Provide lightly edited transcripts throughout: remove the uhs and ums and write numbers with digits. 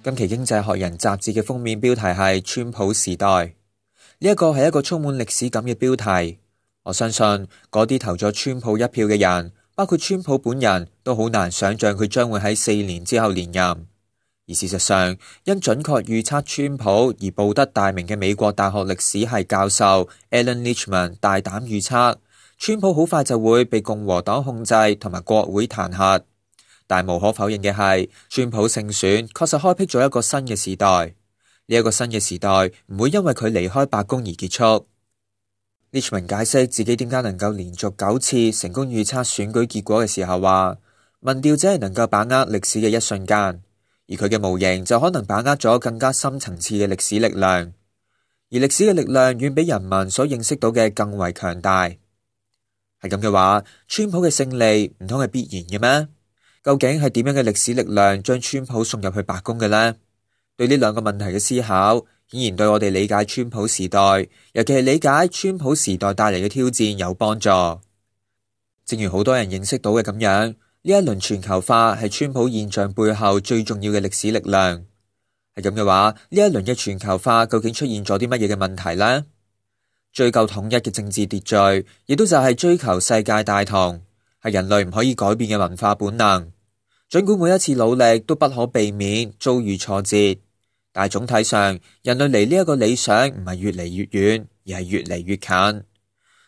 今期《經濟學人》雜誌嘅封面標題係川普時代，呢一個係一個充滿歷史感嘅標題。我相信嗰啲投咗川普一票嘅人，包括川普本人，都好難想象佢將會喺4年之後連任。而事實上，因準確預測川普而報得大名嘅美國大學歷史系教授 Alan Lichtman 大膽預測，川普好快就會被共和黨控制同埋國會彈劾。但無可否認嘅係，川普勝選確實開闢咗一個新嘅時代。呢一個新嘅時代唔會因為佢離開白宮而結束。Lichtman 解釋自己點解能夠連續9次成功預測選舉結果嘅時候話，民調只係能夠把握歷史嘅一瞬間，而佢嘅模型就可能把握咗更加深層次嘅歷史力量，而歷史嘅力量遠比人民所認識到嘅更為強大。係咁嘅話，川普嘅勝利唔通係必然嘅咩？究竟係點樣嘅歷史力量將川普送入去白宮嘅呢？對呢兩個問題嘅思考，顯然對我哋理解川普時代，尤其係理解川普時代帶嚟嘅挑戰有幫助。正如好多人認識到嘅咁樣，呢一輪全球化係川普現象背後最重要嘅歷史力量。係咁嘅話，呢一輪嘅全球化究竟出現咗啲乜嘢嘅問題呢？追究統一嘅政治秩序，亦都就係追求世界大同，係人類唔可以改變嘅文化本能。儘管每一次努力都不可避免遭遇挫折，但係總體上，人類離呢一個理想唔係越嚟越遠，而係越嚟越近。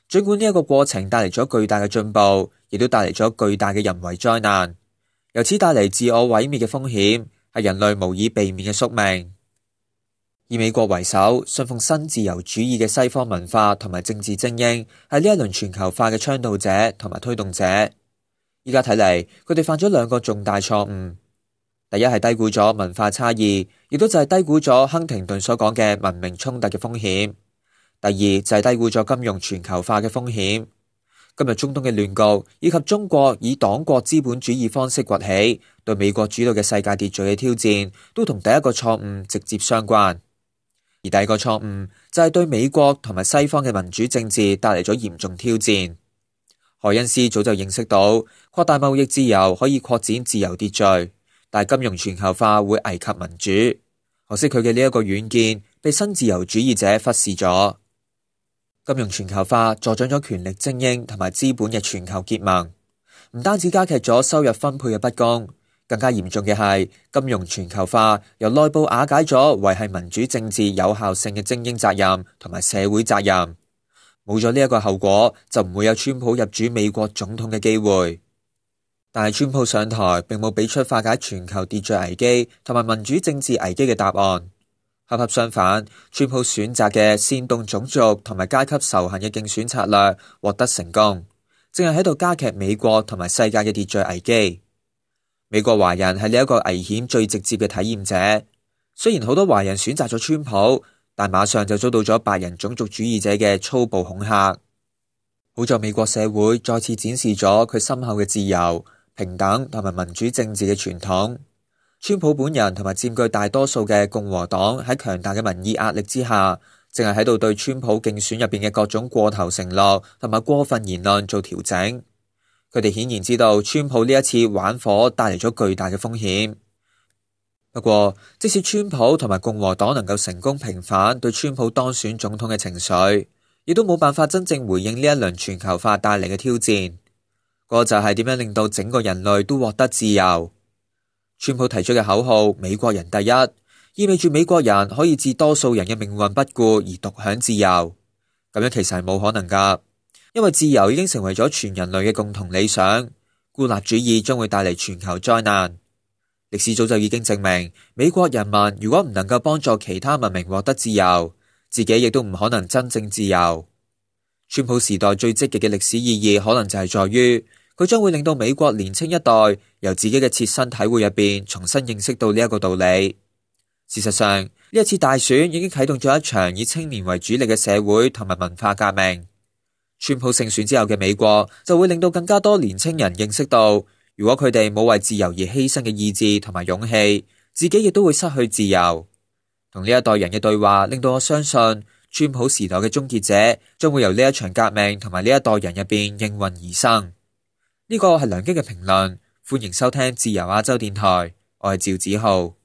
儘管呢一個過程帶嚟咗巨大嘅進步，亦都帶嚟咗巨大嘅人為災難，由此帶嚟自我毀滅嘅風險，係人類無以避免嘅宿命。以美國為首，信奉新自由主義嘅西方文化同埋政治精英，係呢一輪全球化嘅倡導者同埋推動者。依家睇嚟，佢哋犯咗兩個重大錯誤。第一係低估咗文化差異，亦都就係低估咗亨廷頓所講嘅文明衝突嘅風險。第二就係低估咗金融全球化嘅風險。今日中東嘅亂局，以及中國以黨國資本主義方式崛起，對美國主導嘅世界秩序嘅挑戰，都同第一個錯誤直接相關。而第二個錯誤就係對美國同埋西方嘅民主政治帶嚟咗嚴重挑戰。凱恩斯早就認識到，擴大貿易自由可以擴展自由秩序，但係金融全球化會危及民主。可惜佢嘅呢一個遠見被新自由主義者忽視咗。金融全球化助長咗權力精英同埋資本嘅全球結盟，唔單止加劇咗收入分配嘅不公，更加嚴重嘅係金融全球化由內部瓦解咗維繫民主政治有效性嘅精英責任同埋社會責任。冇咗呢一個後果，就唔會有川普入主美國總統嘅機會。但係川普上台並冇俾出化解全球秩序危機同埋民主政治危機嘅答案。恰恰相反，川普選擇嘅煽動種族同埋階級仇恨嘅競選策略獲得成功，正係喺度加劇美國同埋世界嘅秩序危機。美國華人係呢一個危險最直接嘅體驗者。雖然好多華人選擇咗川普，但馬上就遭到咗白人種族主義者嘅粗暴恐嚇。好在美國社會再次展示咗佢深厚嘅自由、平等同埋民主政治嘅傳統。川普本人同埋佔據大多數嘅共和黨喺強大嘅民意壓力之下，淨係喺度對川普競選入邊嘅各種過頭承諾同埋過分言論做調整。佢哋顯然知道川普呢一次玩火帶嚟咗巨大嘅風險。不過，即使川普同埋共和黨能夠成功平反對川普當選總統嘅情緒，亦都冇辦法真正回應呢一輪全球化帶嚟嘅挑戰。個就係點樣令到整個人類都獲得自由。川普提出嘅口號美國人第一，意味住美國人可以置多數人嘅命運不顧而獨享自由。咁樣其實係冇可能噶，因為自由已經成為咗全人類嘅共同理想。孤立主義將會帶嚟全球災難。歷史早就已經證明，美國人民如果唔能夠幫助其他文明獲得自由，自己亦都唔可能真正自由。川普時代最積極嘅歷史意義，可能就係在於佢將會令到美國年輕一代由自己嘅切身體會入邊重新認識到呢一個道理。事實上，呢一次大選已經啟動咗一場以青年為主力嘅社會同埋文化革命。川普勝選之後嘅美國就會令到更加多年輕人認識到，如果佢哋冇為自由而犧牲嘅意志同埋勇氣，自己亦都會失去自由。同呢一代人嘅對話，令到我相信川普時代嘅終結者將會由呢一場革命同埋呢一代人入邊應運而生。呢個係梁基嘅評論，歡迎收聽自由亞洲電台，我係趙子浩。